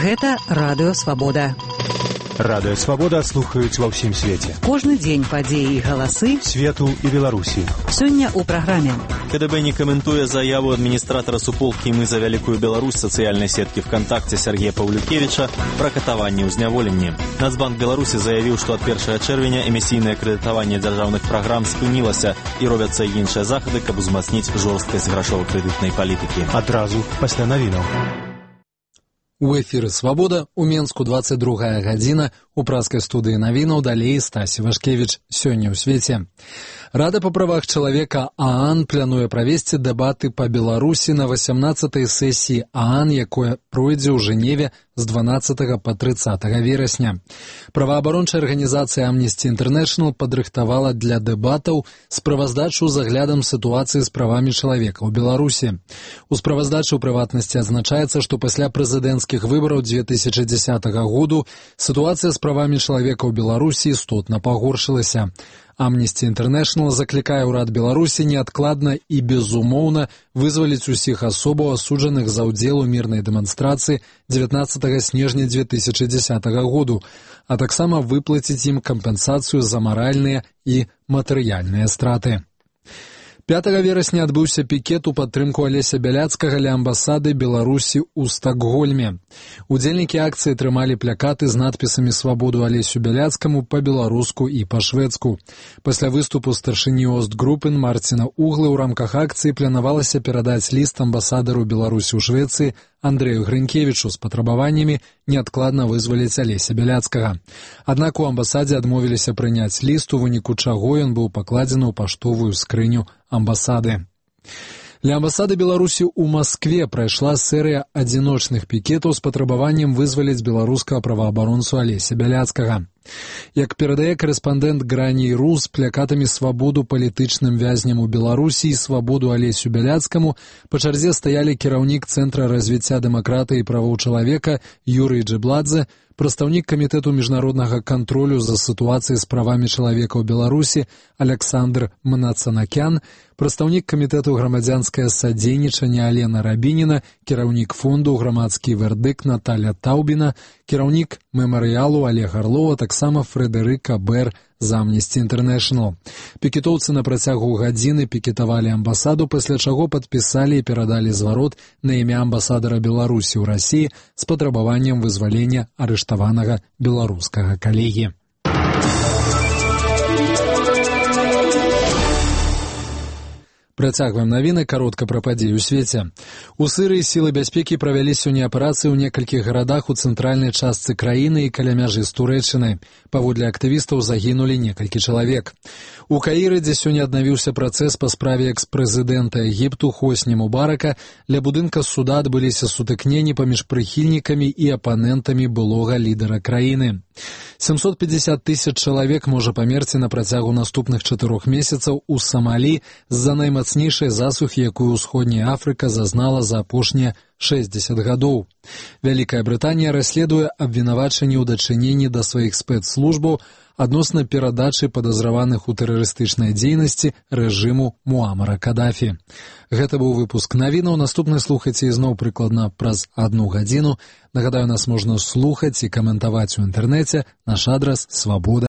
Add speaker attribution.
Speaker 1: Гэта Радыё Свабода.
Speaker 2: Радыё Свабода слухаюць ва ўсім свеце.
Speaker 1: Кожны дзень падзеі і галасы
Speaker 2: свету і Беларусі.
Speaker 1: Сёння ў праграме.
Speaker 3: КДБ не каментуе заяву адміністратара суполкі «Мы за вялікую Беларусь» сацыяльнай сеткі ВКонтакте Сергея Паўлюкевіча пра катаванне ў зняволенні. Нацбанк Беларусі заявіў, што ад 1 чэрвеня эмісійнае крэдытаванне дзяржаўных праграм спынілася і робяцца іншыя захады, каб узмацніць жорсткасць грашова-крэдытнай палітыкі.
Speaker 2: Адразу пасля навінаў.
Speaker 4: У эфіры «Свабода», у Менску 22 гадзіна, у праскай студыі навінаў далей Стасі Вашкевіч. Сёння ў свеце. Рада па правах чалавека ААН плануе правесці дэбаты па Беларусі на 18-й сесіі ААН, якое пройдзе ў Жэневе з 12 па 30 верасня. Праваабарончая арганізацыя Amnesty International падрыхтавала для дэбатаў справаздачу з аглядам сітуацыі з правамі чалавека ў Беларусі. У справаздачы ў прыватнасці адзначаецца, што пасля прэзідэнцкіх выбараў 2010 году сітуацыя з правамі чалавека ў Беларусі істотна пагоршылася. Amnesty International заклікае ўрад Беларусі неадкладна і безумоўна вызваліць усіх асобаў, асуджаных за ўдзел у мірнай дэманстрацыі 19 снежня 2010 году, а таксама выплаціць ім кампенсацыю за маральныя і матэрыяльныя страты. 5 верасня адбыўся пікет у падтрымку Алеся Бяляцкага ля амбасады Беларусі ў Стакгольме. Удзельнікі акцыі трымалі плакаты з надпісамі «Свабоду Алесю Бяляцкаму» па-беларуску і па-шведску. Пасля выступу старшыні Остгруппен Марціна Углы ў рамках акцыі планавалася перадаць ліст амбасадару Беларусі ў Швецыі Андрэю Грынкевічу з патрабаваннямі неадкладна вызваліць Алеся Бяляцкага. Аднак у амбасадзе адмовіліся прыняць ліст, у выніку чаго ён быў пакладзены ў паштовую скрыню амбасады. Ля амбасады Беларусі ў Маскве прайшла серыя адзіночных пікетаў з патрабаваннем вызваліць беларускага праваабаронцу Алеся Бяляцкага. Як перадае корэспандэнт Грані.ру, з плакатамі «Свабоду палітычным вязням у Беларусі» і «Свабоду Алесю Бяляцкаму» па чарзе стаялі кіраўнік Цэнтра развіцця дэмакратыі і правоў чалавека Юрый Джебладзе, прадстаўнік камітэту міжнароднага кантролю за сітуацыяй з правамі чалавека ў Беларусі Александр Мнацанакян, прадстаўнік камітэту грамадзянскае садзейнічанне Алена Рабініна, кіраўнік фонду «Грамадскі вердыкт» Наталя Таўбіна, кіраўнік мемарыялу Олег Арлова, таксама Фрэдэрыка Бэр з Amnesty International. Пікетоўцы на працягу гадзіны пікетавалі амбасаду, пасля чаго падпісалі і перадалі зварот на імя амбасадара Беларусі ў Расіі з патрабаваннем вызвалення арыштаванага беларускага калегі. Працягваем навіны, каротка пра падзеі ў свеце. У Сірыі сілы бяспекі правялі сёння аперацыі ў некалькіх гарадах у цэнтральнай частцы краіны і каля мяжы з Турэччынай. Паводле актывістаў загінулі некалькі чалавек. У Каіры, дзе сёння аднавіўся працэс па справе экс-прэзідэнта Егіпту Хосні Мубарака, ля будынка суда адбыліся сутыкненні паміж прыхільнікамі і апанентамі былога лідара краіны. 750 000 чалавек можа памерці на працягу наступных 4 месяцаў у Самалі з-за наймацнейшай засухі, якую ўсходняя Афрыка зазнала за апошнія 60 гадоў. Вялікая Брытанія расследуе абвінавачанні ў дачыненні да сваіх спецслужбаў адносна перадачы падазраваных у тэрарыстычнай дзейнасці рэжыму Муамара Кадафі. Гэта быў выпуск навінаў. Наступны слухайце ізноў прыкладна праз 1 гадзіну. Нагадаю, нас можна слухаць і каментаваць у інтэрнэце. Наш адрас свабода.